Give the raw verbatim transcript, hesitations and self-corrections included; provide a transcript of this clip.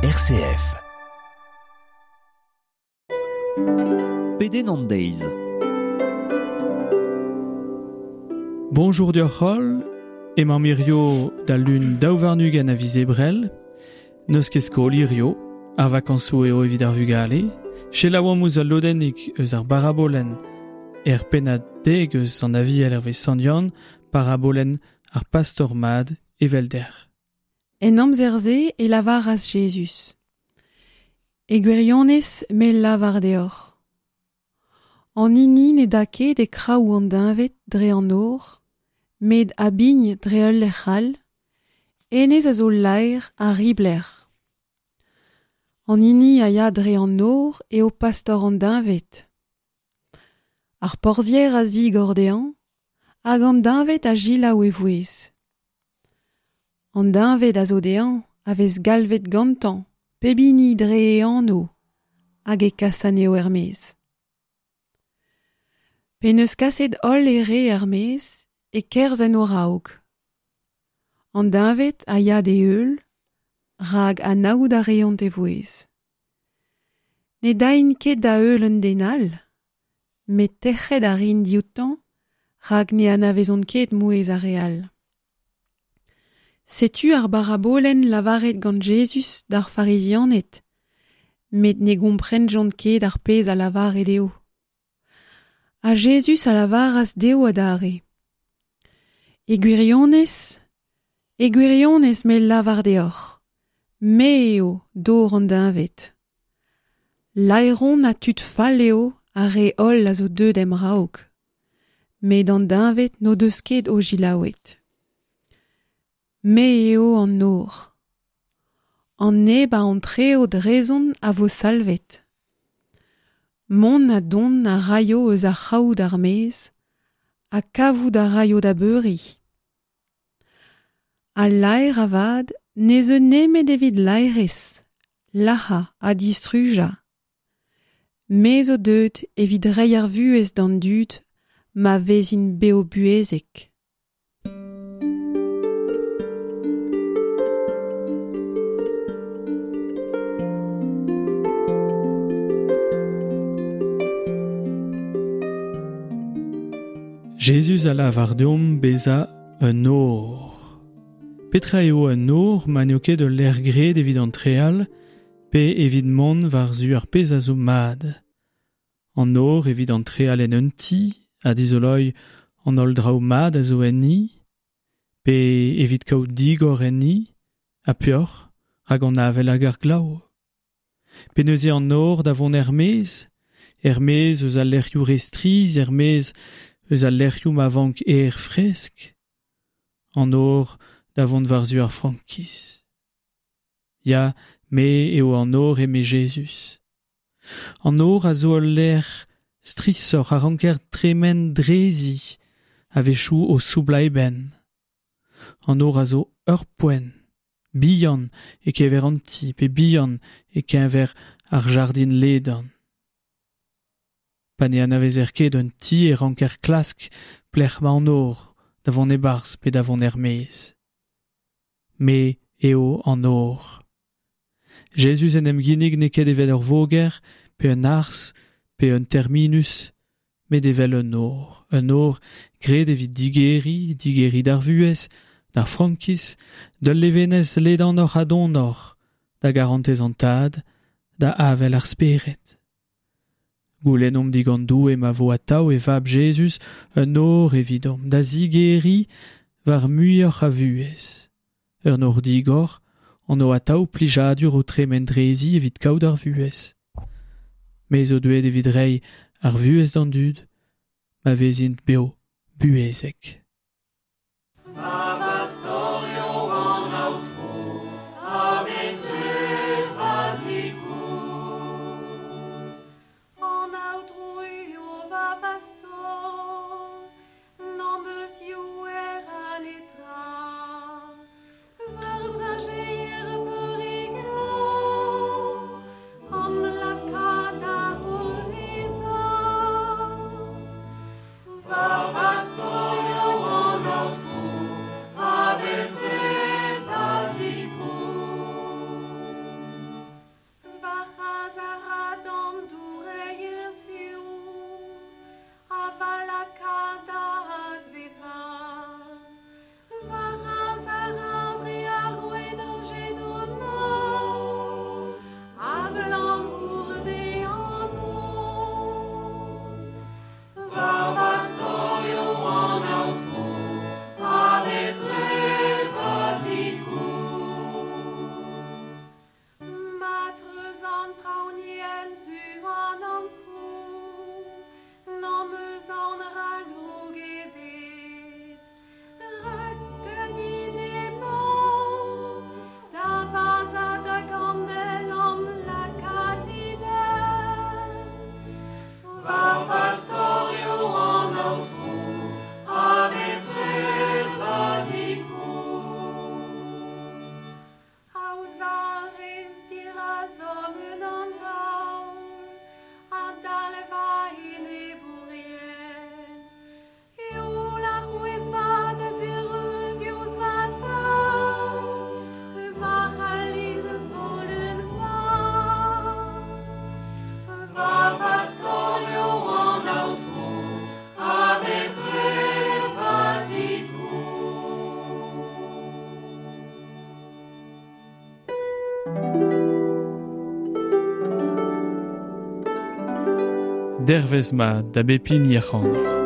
R C F. Pedenn an deiz. Bonjour deoc'h, emañ mirio da lun daou warn-ugent a viz Ebrel, n'eus ket skol hirio, ar vakañsoù eo evit ar vugale, selaouomp ouzh al lodennig eus ar barabolenn er pennad deg eus an Aviel hervez Sant Yann, parabolenn ar pastor mat evelder. En amzer-se e lavaras Jezuz. E gwirionez me lavar deoc'h. An hini ne da ket e kraou an deñved dre an nor, met a bign dre ul lec'h all, hennezh a zo laer ha ribler. An hini a ya dre an nor eo pastor an deñved. Ar porzhier a zigor dezhañ, hag an deñved a selaou e vouezh. An deñved a zo dezhañ a vez galvet gantañ, pep hini dre e anv, hag e kas anezho er-maez. Pe n'eus kaset holl e re er-maez, e kerzh en o raok. An deñved a ya d'e heul, rak anaout a reont e vouezh. Ne daint ket da heul un den all, met tec'het a rin dioutañ, rak ne anavezont ket mouezh ar re all. Setu ar barabolenn lavaret gant Jezuz d'ar Farizianed, met ne gomprenjont ket ar pezh a lavare dezho. Ha Jezuz a lavaras dezho adarre. E gwirionez, e gwirionez me lavar deoc'h, me eo dor an deñved. Laeron ha tud fall eo ar re holl a zo deuet em raok, met an deñved n'o deus ket o selaouet. Me eo an nor. An neb a antreo drezon a vo salvet. Mont ha dont a raio eus ar c'hraou d'ar maez, ha kavout a raio da beuriñ. Al laer avat ne zeu nemet evit laerezh, lazhañ ha distrujañ. Me zo deuet evit reiñ ar vuhez d'an dud ma vezint bev-buhezek. Jezuz a lavar deomp bezañ un nor. Petra eo un nor ma n'eo ket ul lec'h graet evit an treal, pe evit mont war-zu ar pezh a zo mat. An nor evit an treal en un ti, a dizoloiñ an holl draoù mat a zo enni, pe evit kaout digor enni, ha peoc'h, rak an avel hag ar glav. Pe neuze an nor da vont er-maez, er-maez eus al lec'hioù re strizh, er-maez eus al lec'hioù ma vank aer fresk, an nor da vont war-zu ar frankiz. Ya, me eo an nor eme Jezuz. An nor a zo ul lec'h strishoc'h a ranker tremen drezi, a-wechoù o soublañ e benn. An nor a zo ur poent, bihan e-keñver an ti, pe bihan e-keñver ar jardin ledan. Pa ne anavezer ket un ti e ranker klask pelec'h emañ an nor da vont e-barzh pe da vont er-maez. Me eo an nor. Jezuz en em ginnig n'eo ket evel ur voger, pe un arzh, pe un terminus, met evel un nor. Un nor graet evit digeriñ, digeriñ d'ar vuhez, d'ar frankiz, d'ul levenez ledanoc'h ha donoc'h, da garantez an tad, da avel ar spered. Goulennomp digant Doue ma vo atav e vab Jezuz un nor evidomp, da zigeriñ war muioc'h a vuhez. Ur nor digor, an o atav plijadur o tremen drezi evit kaout ar vuhez. Me zo deuet evit reiñ ar vuhez d'an dud, ma vezint bev buhezek. Pastor. Dervez mat da bep hini ac'hanoc'h.